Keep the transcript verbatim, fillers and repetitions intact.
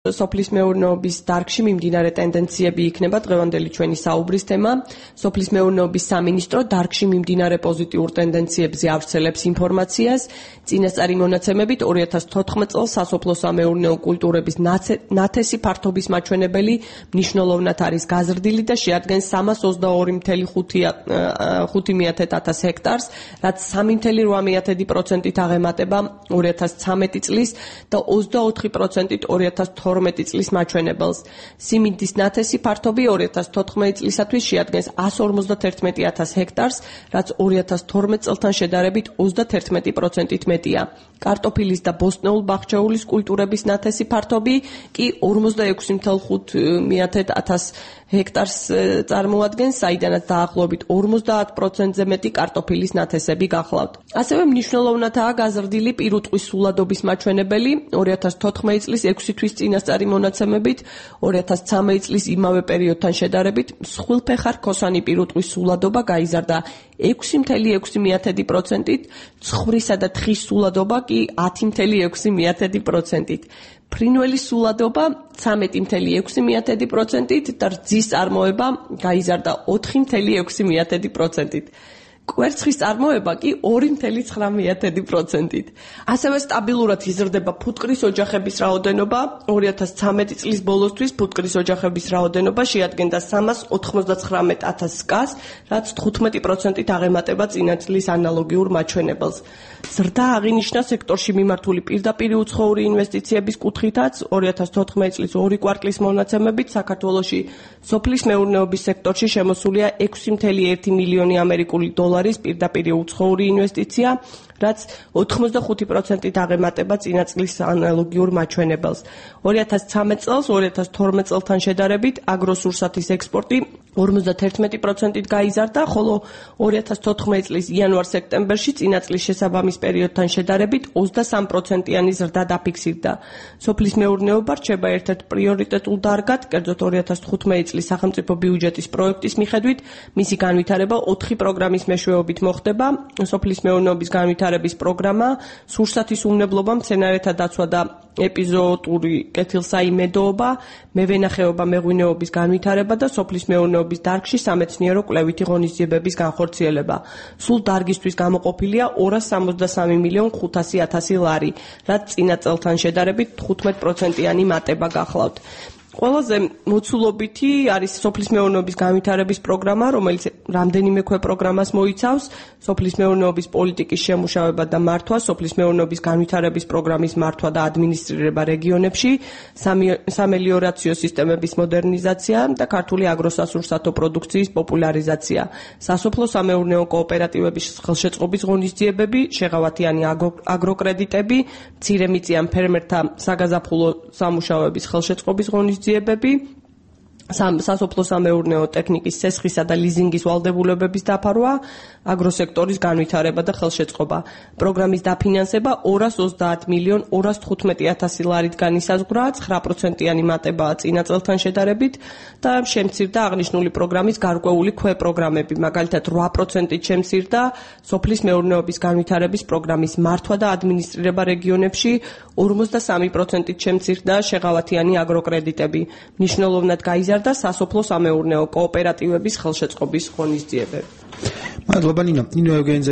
სოფლის მეურნეობის დარგში მიმდინარე ტენდენციები იქნება დღევანდელი ჩვენი საუბრის თემა. სოფლის მეურნეობის სამინისტრო დარგში მიმდინარე პოზიტიურ ტენდენციებზე ავრცელებს ინფორმაციას. წინასწარი მონაცემებით ორი ათას თოთხმეტ წელს სასოფლო სამეურნეო კულტურების ნათესი ფართობის მაჩვენებელი მნიშვნელოვნად არის გაზრდილი და შეადგენს სამას ოცდაორი წუთი ხუთი ათას ჰექტარს, რაც სამი წუთი რვა პროცენტით აღემატება ორი ათას ცხრამეტი წლის და ოცდაოთხი პროცენტით ორი ათას თორმეტი წლის მაჩვენებელს. სიმინდის ნათესი ფართობი ორი ათას თოთხმეტი წლისათვის შეადგენს εκατს ორმოცდაათი ათას ჰექტარს, რაც ორი ათას თორმეტ წელთან შედარებით ოცდაათი პროცენტით მეტია. კარტოფილის და ბოსტნეულ-ბახჩეულის კულტურების ნათესი ფართობი კი ორმოცდაექვსი წუთი ხუთი ათას ჰექტარს წარმოადგენს, საიდანაც დაახლოებით ორმოცდაათ პროცენტზე მეტი კარტოფილის ნათესები გახლავთ. ასევე მნიშვნელოვნადაა გაზრდილი პირუტყვის სულადობის მაჩვენებელი ორი ათას თოთხმეტი წლის ექვსი თვის წინასწარი მონაცემებით, ორი ათას ცხრამეტი წლის იმავე პერიოდთან შედარებით მსხვილფეხა რქოსანი პირუტყვის სულადობა გაიზარდა ექვსი წუთი ექვსი პროცენტით, ცხვრისა და თხის სულადობა კი ათი წუთი ექვსი პროცენტით. ფრინველის სულადობა ცხრამეტი წუთი ექვსი პროცენტით და რძის წარმოება გაიზარდა ოთხი წუთი ექვსი პროცენტით. კვერცხის წარმოება კი ორი წუთი ცხრა პროცენტით. ასევე სტაბილურად იზრდება ფუტკრის ოჯახების რაოდენობა. ორი ათას ცხრამეტი წლის ბოლოსთვის ფუტკრის ოჯახების რაოდენობა შეადგენდა სამას ოცდათვრამეტ ათას სკას, რაც თხუთმეტი პროცენტით აღემატება წინა წლის ანალოგიურ მაჩვენებელს. ზრდა აღინიშნა სექტორში მიმართული პირდაპირი უცხოური ინვესტიციების კუთხითაც. ორი ათას თოთხმეტი წლის ორი კვარტლის მონაცემებით საქართველოში სოფლის მეურნეობის სექტორში შემოსულია ექვსი წუთი ერთი მილიონი ამერიკული დოლარის პირდაპირი უცხოური ინვესტიცია, რაც ოცდახუთი პროცენტით აღემატება წინა წლის ანალოგიურ მაჩვენებელს. ორი ათას ცხრამეტ წელს ორი ათას თორმეტ წელთან შედარებით აგროსურსათის ექსპორტი ორმოცდაათი პროცენტით გაიზარდა, ხოლო ორი ათას თოთხმეტი წლის იანვარ-სექტემბერში წინა წლის შესაბამის პერიოდთან შედარებით ოცდასამი პროცენტიანი ზრდა დაფიქსირდა. სოფლის მეურნეობა რჩება ერთ-ერთ პრიორიტეტულ დარგად, კერძოდ ორი ათას თხუთმეტი წლის სახელმწიფო ბიუჯეტის პროექტის მიხედვით მისი განვითარება ოთხი პროგრამის მეშვეობით მოხდება. სოფლის მეურნეობის განვითარების პროგრამა, სურსათის უმნებლობა, მცენარეთა დაცვა და ეპიზოოტური კეთილსაიმედოობა, მევენახეობა, მეღვინეობის განვითარება და სოფლის მეურნეობის დარგში სამეცნიერო კვლევითი ღონისძიებების განხორციელება. სულ დარგისთვის გამოყოფილია ორას სამოცდასამი მილიონ ხუთასი ათასი ლარი, რაც წინა წელთან შედარებით თხუთმეტ პროცენტიანი მატება გახლავთ. ყველაზე მოცულობითი არის სოფლის მეურნეობის განვითარების პროგრამა, რომელიც რამდენიმე ქვეპროგრამას მოიცავს: სოფლის მეურნეობის პოლიტიკის შემუშავება და მართვა, სოფლის მეურნეობის განვითარების პროგრამის მართვა და ადმინისტრირება რეგიონებში, სამელიორაციო სისტემების მოდერნიზაცია და ქართული აგროსასურსათო პროდუქციის პოპულარიზაცია, სასოფლო სამეურნეო კოოპერატივების ხელშეწყობის ღონისძიებები, შეღავათიანი აგროკრედიტები, მცირემიწიან ფერმერთა საგაზაფხულო სამუშაოების ხელშეწყობის ღონისძიებები, სასოფლო სამეურნეო ტექნიკის სესხისა და ლიზინგის ვალდებულებების დაფარვა, აგროსექტორის განვითარება და ხელშეწყობა. პროგრამის დაფინანსება ორას ოცდაათ მილიონ ორას თხუთმეტი ათასი ლარით განისაზღვრა, ცხრა პროცენტიანი მატებაა წინა წელთან შედარებით და შემცირდა აღნიშნული პროგრამის გარკვეული ქვეპროგრამები, მაგალითად რვა პროცენტით შემცირდა სოფლის მეურნეობის განვითარების პროგრამის მართვა და ადმინისტრირება რეგიონებში, ორმოცდასამი პროცენტით შემცირდა შეღავათიანი აგროკრედიტები. მნიშვნელოვნად გაიზარდა სასოფლო სამეურნეო კოოპერატივების ხელშეწყობის ღონისძიებები. მადლობა ნინო. ნინო ევგენიძე